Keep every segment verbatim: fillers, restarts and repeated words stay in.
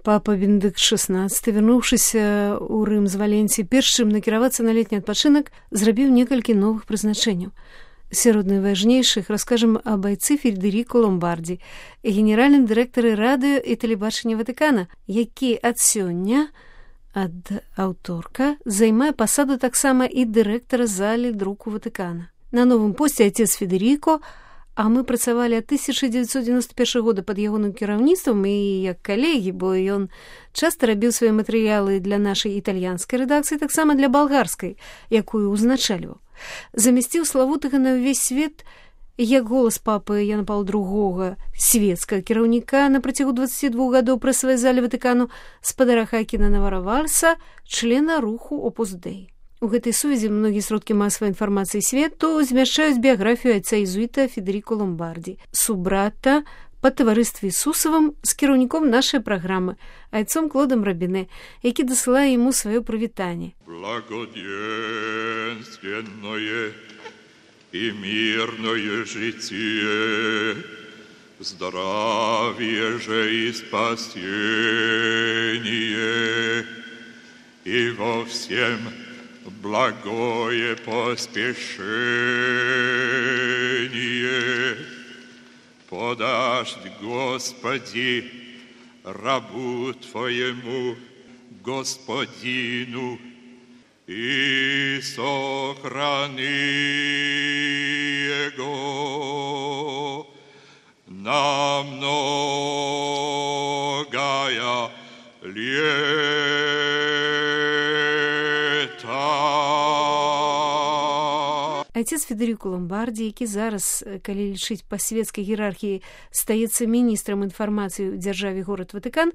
Папа Бенедыкт шэснаццаты, вярнуўшыся ў Рым з Валенсіі, перш чым накіравацца на летні адпачынак, зрабіў некалькі новых прызначэнняў. Сярод найважнейшых раскажам аб айцы Федеріко Ломбарді, генеральным дырэктары радыё і тэлебачання Ватыкана, які ад сёння, ад аўторка, займае пасаду таксама і дырэктара залі друку Ватыкана. На новым посце айцец Федеріко, а мы працавалі ад тысяча дзевяцьсот дзевяносто першага года пад ягоным кіраўніцтвам і як калегі, бо ён часта рабіў свае матэрыялы для нашай італьянскай рэдакцыі, таксама для балгарскай, якую ўзначальваў. Замясціў славутага на ўвесь свет як голас папы Яна Паўла другога свецкага кіраўніка на працягу дваццаці двух гадоў прэсавай залі Ватыкану спадара Хакіна Наваравальса, члена руху Опус Дэй. У гэтай сувязі многія сродкі масавай інфармацыі свету змяшчаюць біяграфію айца езуіта Федеріко Ломбарді, субрата па таварыстве Ісусавым з кіраўніком нашай праграмы, айцом Клодам Рабіне, які дасылае яму сваё прывітанне. Благоденственное и мирное житие, здравие же и спасение, и во всем благое поспешение подашь, Господи, рабу Твоему, Господину, и сохрани его на многое лето. Айцец Федеріко Ломбарді, які зараз, калі лічыць па свецкай іерархіі, стаецца міністрам інфармацыі ў дзяржаве горад Ватыкан,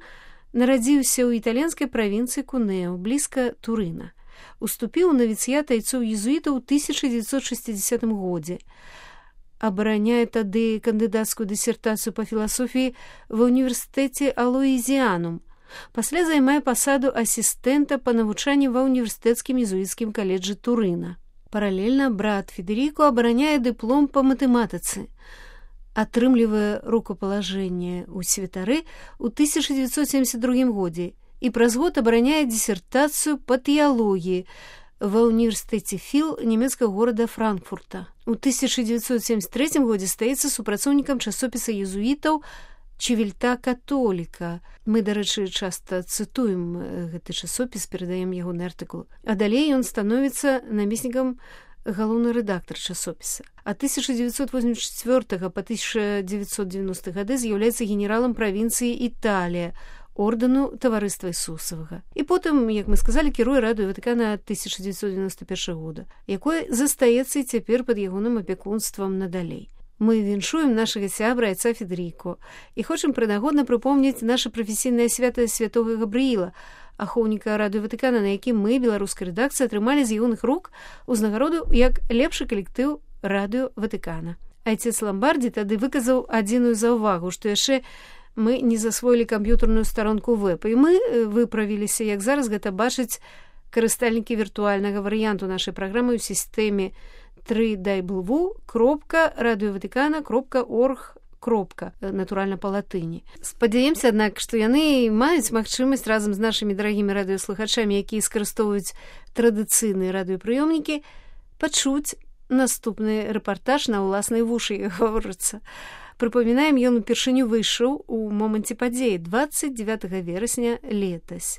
нарадзіўся ў італьянскай правінцыі Кунео, блізка Турына. Уступіў у навіцыят айцоў езуітаў у тысяча дзевяцьсот шэсцідзесятым годзе. Абараняе тады кандыдацкую дысертацыю па філасофіі ва ўніверсітэце Алоізіанум. Пасля займае пасаду асістэнта па навучанні ва ўніверсітэцкім езуіцкім каледжы Турына. Паралельна брат Федеріко абараняе дыплом па матэматыцы, атрымлівае рукапалажэнне ў святары ў тысяча дзевяцьсот семьдесят другім годзе і праз год абараняе дысертацыю па тэалогіі ва ўніверсітэце Філ нямецкага горада Франкфурта. У тысяча дзевяцьсот семьдесят трэцім годзе стаецца супрацоўнікам часопіса езуітаў Чывільта католіка. Мы, дарэчы, часта цытуем гэты часопіс, перадаем ягоны артыкул. А далей ён становіцца намеснікам галоўны рэдактар часопіса. Ад тысяча дзевяцьсот восемьдесят чвёртага па тысяча дзевяцьсот девяносты гады з'яўляецца генералам правінцыі Італія, ордэну таварыства Ісусавага. І потым, як мы сказалі, кіруе радыё Ватыкана ад тысяча дзевяцьсот девяносто першага года, якое застаецца і цяпер пад ягоным апекунствам надалей. Мы віншуем нашага сябра айца Федеріко і хочам прынагодна прыпомніць наша прафесійнае свята святога Габрыіла, ахоўніка радыё Ватыкана, на якім мы, беларускай рэдакцыі, атрымалі з ягоных рук узнагароду як лепшы калектыў радыё Ватыкана. Айцец Ломбарді тады выказаў адзіную заўвагу, што яшчэ мы не засвоілі камп'ютарную старонку веб, і мы выправіліся, як зараз гэта бачаць карыстальнікі віртуальнага варыянту нашай праграмы ў сістэме три дабл ю дабл ю кропка радыёватыкана кропка орг кропка, натуральна па латыні. Спадзяемся, аднак, што яны маюць магчымасць разам з нашымі дарагімі радыёслухачамі, якія скарыстоўваюць традыцыйныя радыёпрыёмнікі, пачуць наступны рэпартаж на ўласнай вушы, як гаворыцца. Прыпамінаем, ён упершыню выйшаў у моманце падзеі дваццаць дзевятага верасня летась.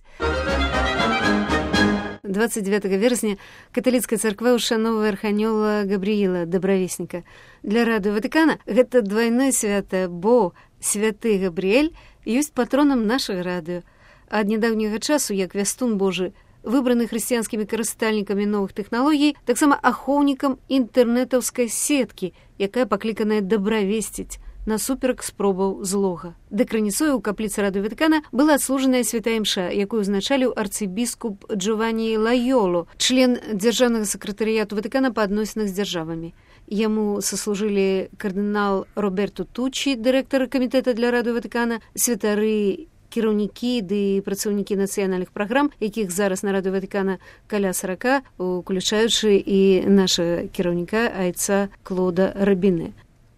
двадцать девятого верасня каталіцкая царква ушановвае арханёла Габрыіла, дабравесніка. Для радыё Ватыкана гэта двайное свята, бо святы Габрыэль ёсць патронам нашага радыё. Ад нядаўняга часу, як вястун Божы, выбраны хрысціянскімі карыстальнікамі новых тэхналогій, таксама ахоўнікам інтэрнэтаўскай сеткі, якая пакліканая дабравесціць насуперак спробаў злога. Дэкраніцою ў капліцы радыё Ватыкана была адслужаная святая імша, якую узначаліў арцыбіскуп Джованні Лайоло, член дзяржаўнага сакратарыяту Ватыкана па адносінах з дзяржавамі. Яму саслужылі кардынал Роберто Туччі, дырэктар камітэта для радыё Ватыкана, святары, кіраўнікі ды працаўнікі нацыянальных праграм, якіх зараз на радыё Ватыкана каля сорока, уключаючы і нашага кіраўніка айца Клода Рабіне.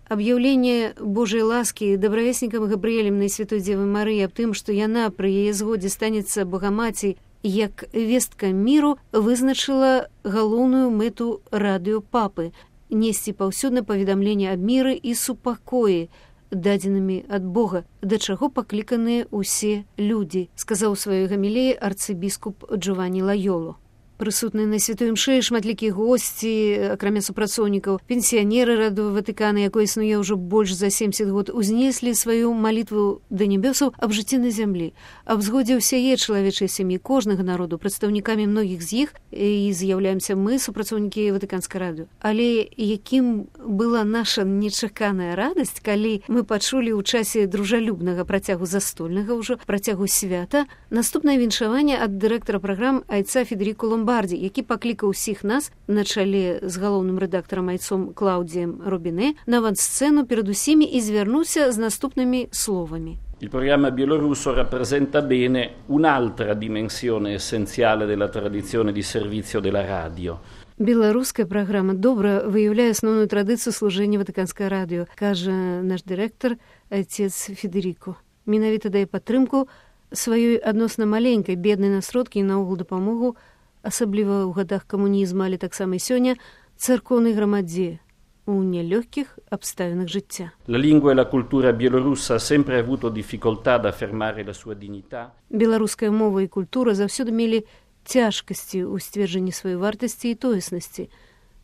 Аб'яўленне Божай ласкі дабравеснікам Габрыэлем і Святой Дзевы Марыі аб тым, што яна пры яе згодзе станецца Багамацей як вестка міру, вызначыла галоўную мэту радыё папы – несці паўсюдна паведамленне аб міры і супакоі, дадзенымі ад Бога, да чаго пакліканыя ўсе людзі, сказаў у сваёй гамілеі арцыбіскуп Джованні Лайоло. Прысутныя на святой імшы шматлікія госці, акрамя супрацоўнікаў, пенсіянеры радыё Ватыкана, якое існуе ўжо больш за семьдесят год, узнеслі сваю малітву да нябёсаў аб жыцці на зямлі, аб згодзе ўсяе чалавечай сям'і кожнага народу, прадстаўнікамі многіх з іх і з'яўляемся мы, супрацоўнікі Ватыканскай радыё. Але якім была наша нечаканая радасць, калі мы пачулі ў часе дружалюбнага працягу застольнага ўжо працягу свята наступнае віншаванне ад дырэктара праграм айца Федеріко Ломбарді, які паклікаў усіх нас на чале з галоўным рэдактарам айцом Клаудіем Робіне на авансцэну перад усімі і звярнуўся з наступнымі словамі. Il programma bielorusso rappresenta bene un'altra dimensione essenziale della tradizione di servizio della radio. Беларуская праграма добра выяўляе асноўную традыцыю служэння Ватыканскай радыё, кажа наш дырэктар айцец Федеріко. Менавіта дае падтрымку сваёй адносна маленькай беднай на сродкі і наогул дапамогу, асабліва ў гадах камунізму, але таксама і сёння, царкоўнай грамадзе у нелёгкіх абставінах жыцця. La lingua e la cultura bielorussa ha sempre avuto difficoltà ad affermare la sua dignità. Беларуская мова і культура заўсёды мелі цяжкасці ў сцверджанні сваёй вартасці і тоеснасці,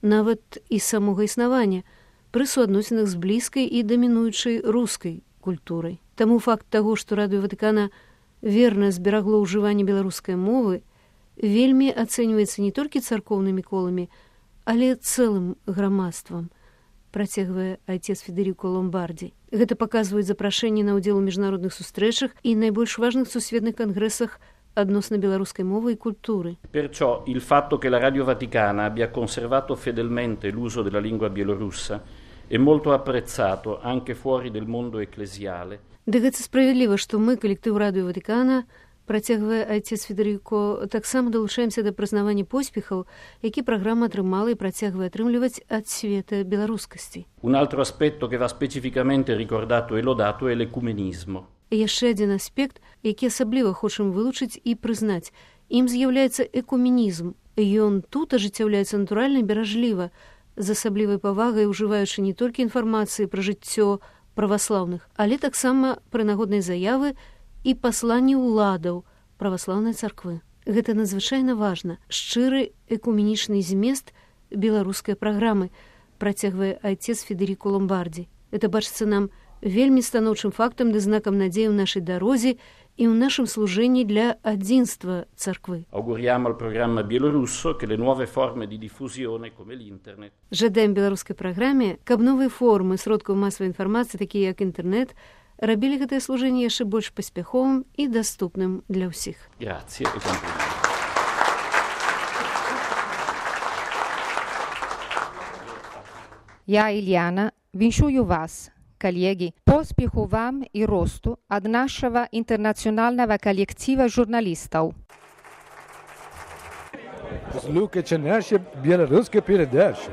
нават і самога існавання, пры суадносінах з блізкай і дамінуючай рускай культурай. Таму факт таго, што радыё Ватыкана верна зберагло ўжыванне беларускай мовы, вельмі ацэньваецца не толькі царкоўнымі коламі, але цэлым грамадствам, працягвае айцец Федеріко Ломбарді. Гэта паказваюць запрашэнні на ўдзел у міжнародных сустрэчах і найбольш важных сусветных кангрэсах адносна беларускай мовы і культуры. Perciò il fatto che la Radio Vaticana abbia conservato fedelmente l'uso della lingua bielorussa è molto apprezzato anche fuori del mondo ecclesiale. Да гэта справядліва, што мы, калектыў радыё Ватыкана, працягвае айцец Федеріко, таксама далучаемся да прызнавання поспехаў, які праграма атрымала і працягвае атрымліваць ад света беларускасці. Un altro aspetto che va specificamente ricordato e lodato è l'ecumenismo. Яшчэ адзін аспект, які асабліва хочам вылучыць і прызнаць. Ім з'яўляецца экуменізм. Ён тут ажыццяўляецца натуральна і беражліва, з асаблівай павагай ужываючы не толькі інфармацыі пра жыццё праваслаўных, але таксама пра нагодныя заявы і пасланні ўладаў праваслаўнай царквы. Гэта надзвычайна важна. Шчыры экуменічны змест беларускай праграмы, працягвае айцец Федеріко Ломбарді. Гэта бачыцца нам вельмі станоўчым фактам ды знакам надзеі ў нашай дарозе і ў нашым служэнні для адзінства царквы. Auguriamo al programma bielorusso che le nuove forme di diffusione come l'internet. Жадаем беларускай праграме, каб новыя формы сродкаў масавай інфармацыі, такія як інтэрнэт, рабілі гэтае служэнне яшчэ больш паспяховым і даступным для ўсіх. Grazie e complimenti. Я, Ильяна, віншую вас, коллеги, по успеху вам и росту от нашего интернационального коллектива журналистов. Слухайте наші білоруські передачі.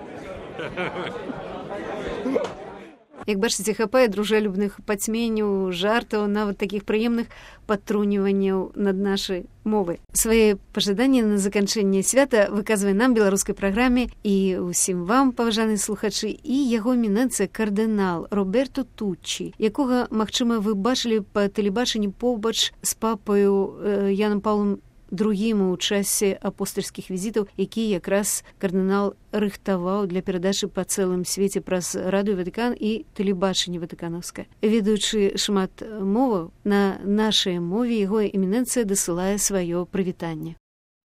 Як бачыце, хапае дружалюбных пацьменняў, жартаў, нават такіх прыемных падтруніванняў над нашай мовай. Свае пажаданні на заканчэнне свята выказвае нам беларускай праграме і ўсім вам, паважаныя слухачы, і яго эмінэнцыя кардынал Роберто Туччі, якога, магчыма, вы бачылі па тэлебачанні побач з папаю э, Янам Паўлам другім у часе апостальскіх візітаў, які якраз кардынал рыхтаваў для перадачы па цэлым свеце праз радыё Ватыкан і тэлебачанне ватыканаўскае. Ведаючы шмат моваў, на нашай мове яго эмінэнцыя дасылае сваё прывітанне.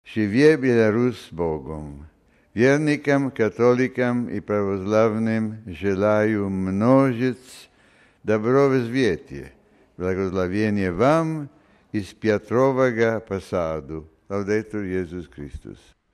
Жыве Беларусь с Богом. Верникам, католикам и православным желаю множить добро в свете. Благословение вам из Петрового посаду. Лаудетур Иисус Христос.